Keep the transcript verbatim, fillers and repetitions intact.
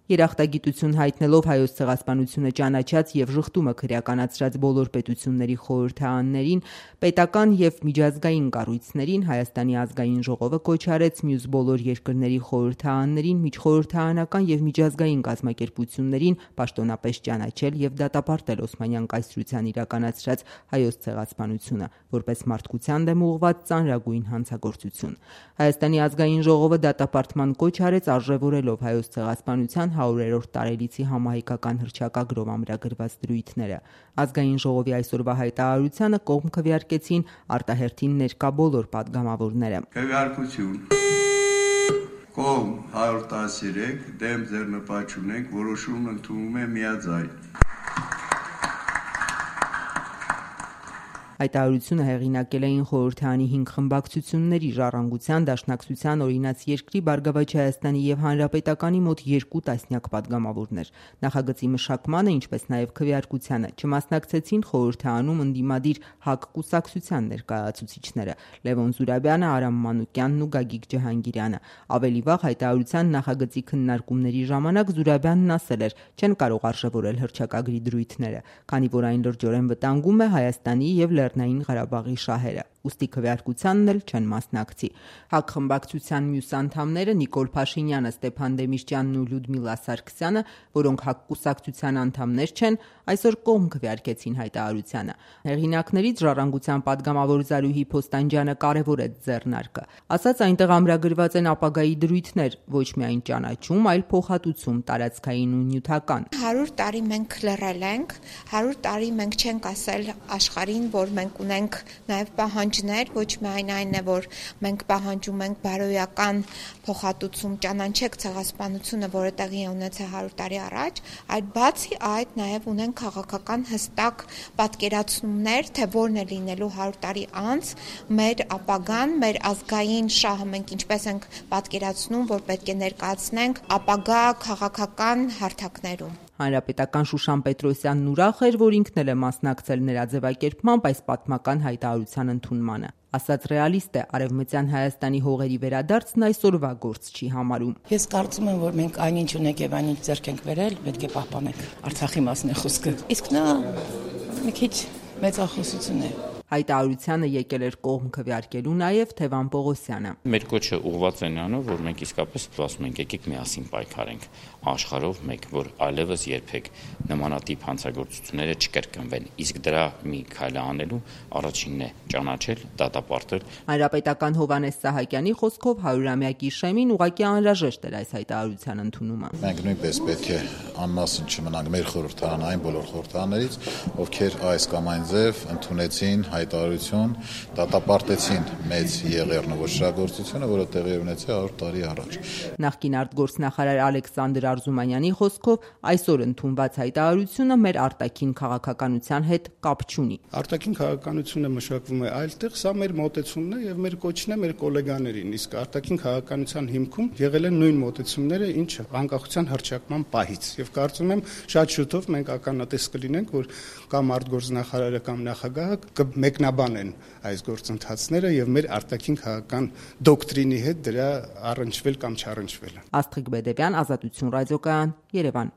Երախտագիտություն հայտնելով Հայոց ցեղասպանությունը ճանաչած եւ ժխտումը քրեականացրած բոլոր պետությունների խորհրդարաններին, պետական եւ միջազգային կառույցներին Հայաստանի ազգային ժողովը կոչ արեց մյուս բոլոր երկրների խորհրդարաններին, միջխորհրդարանական եւ միջազգային կազմակերպություններին պաշտոնապես ճանաչել եւ դատապարտել Օսմանյան կայսրության իրականացրած Հայոց ցեղասպանությունը որպես մարդկության դեմ ուղղված ծանրագույն հանցագործություն։ Հայաստանի ազգային ժողովը դատապարտման կոչ արեց արժևորելով Հայոց ցեղասպանության հարյուրերորդ տարելիցի համահայկական հռչակագրով ամրագրված դրույթները։ Ազգային ժողովի այսօրվա հայտարարությանը կողմ քվեարկեցին արտահերթին ներկա բոլոր պատգամավորները։ Քվեարկություն կողմ հարյուր տասներեք, դեմ ձեռնպատ չունենք, որոշումն ընդունվում է միաձայն։ Հայտարարությունը հեղինակել էին խորհրդարանի հինգ խմբակցությունների՝ Ժառանգության, Դաշնակցության, Օրինաց երկրի, Բարգավաճ Հայաստանի եւ Հանրապետականի մոտ երկու տասնյակ պատգամավորներ։ Նախագծի մշակմանը, ինչպես նաեւ քվեարկությանը չմասնակցեցին խորհրդարանում ընդդիմադիր ՀԱԿ կուսակցության ներկայացուցիչները՝ Լևոն Զուրաբյանը, Արամ Մանուկյանն ու Գագիկ Ջհանգիրյանը։ Ավելի վաղ հայտարարության նախագծի քննարկումների ժամանակ Զուրաբյանն ասել էր՝ չեն կարող արժևորել հռչակագրի դրույթները, քանի որ այն լրջորեն վտանգում է Հայաստանի եւ Լեռնային Ղարաբաղի շահերը, ուստի քվեարկությանն էլ չեն մասնակցի։ ՀԱԿ խմբակցության մյուս անդամները Նիկոլ Փաշինյանը, Ստեփան Դեմիրճյանն ու Լյուդմիլա Սարգսյանը, որոնք ՀԱԿ կուսակցության անդամներ չեն, այսօր կողմ քվեարկեցին հայտարարությանը։ Հեղինակներից Ժառանգության պատգամավոր Զարուհի Փոստանջյանը կարևորեց ձեռնարկը, ասաց այնտեղ ամրագրված են ապագայի դրույթներ, ոչ միայն ճանաչում, այլ փոխհատուցում տարածքային ու նյութական։ հարյուր տարի մենք լռել ենք, հարյուր տարի մենք չենք ասել աշխարհին, որ մենք ունենք նաև պահանջներ, ոչ միայն այն է, որ մենք պահանջում ենք բարոյական փոխհատուցում, ճանաչեք ցեղասպանությունը, որը տեղի է ունեցել հարյուր տարի առաջ, այլ բացի այդ նաև ունենք քաղաքական հստակ պատկերացումներ, թե որն է լինելու հարյուր տարի անց մեր ապագան, մեր ազգային շահը մենք ինչպես ենք պատկերացնում, որ պետք է ներկայացնենք ապագա քաղաքական հարթակներում։ Հանրապետական Շուշան Պետրոսյանն ուրախ էր, որ ինքն էլ է մասնակցել նրա ձևակերպմամբ այս պատմական հայտարարության ընդունմանը։ Ասաց ռեալիստ է, Արևմտյան Հայաստանի հողերի վերադարձն այսօրվա գործ չի համարում։ Ես կարծում եմ, որ մենք այնինչ ունենք եւ այնինչ ձեռք ենք բերել, պետք է պահպանենք։ Արցախի մասն է խոսքը։ Իսկ նա մի քիչ մեծախոսություն է։ Հայտարարությանը եկել էր կողմ քվեարկելու նաև Թևան Պողոսյանը։ Մեր կոչը ուղղված է նրանով, որ մենք իսկապես ասում ենք, եկեք միասին պայքարենք աշխարհով մեկ, որ այլևս երբեք նմանատիպ հանցագործությունները չկրկնվեն։ Իսկ դրա մի քայլը անելու առաջինն է ճանաչել, դատապարտել։ Հանրապետական Հովհաննես Սահակյանի խոսքով հարյուրամյակի շեմին ուղղակի անհրաժեշտ էր այս հայտարարության ընդունումը։ Մենք նույնպես պետք է անմասն չմնանք մեր խորհրդարան այն բոլոր խորհրդարաններից, ովքեր այս կամ այն ձև ընդունեցին հայտարարություն, դատապարտեցին մեծ եղեռն ու ոչրագործությունը, որը տեղի ունեցել հարյուր տարի առաջ։ Նախկին արտգործնախարար Ալեքսանդր Արզումանյանի խոսքով այսօր ընդունված հայտարարությունը մեր արտաքին քաղաքականության հետ կապ չունի։ Արտաքին քաղաքականությունը մշակվում է այլտեղ, սա մեր մոտեցումն է եւ մեր կոչն է մեր գոլեգաներին, իսկ արտաքին քաղաքականության հիմքում եղել են նույն մոտեցումները, ինչը անկախության հռչակման պահից։ Եվ կարծում եմ շատ շուտով մենք ականատես կլինենք, որ կամ արտգործնախարարը կամ նախագահը կմեկնաբանեն այս գործընթացները եւ մեր արտաքին քաղաքական դոկտրինի հետ դրա առնչվել կամ չառնչվելը։ Աստղիկ Բեդևյան, Ազատություն ռադիոկայան, Երևան։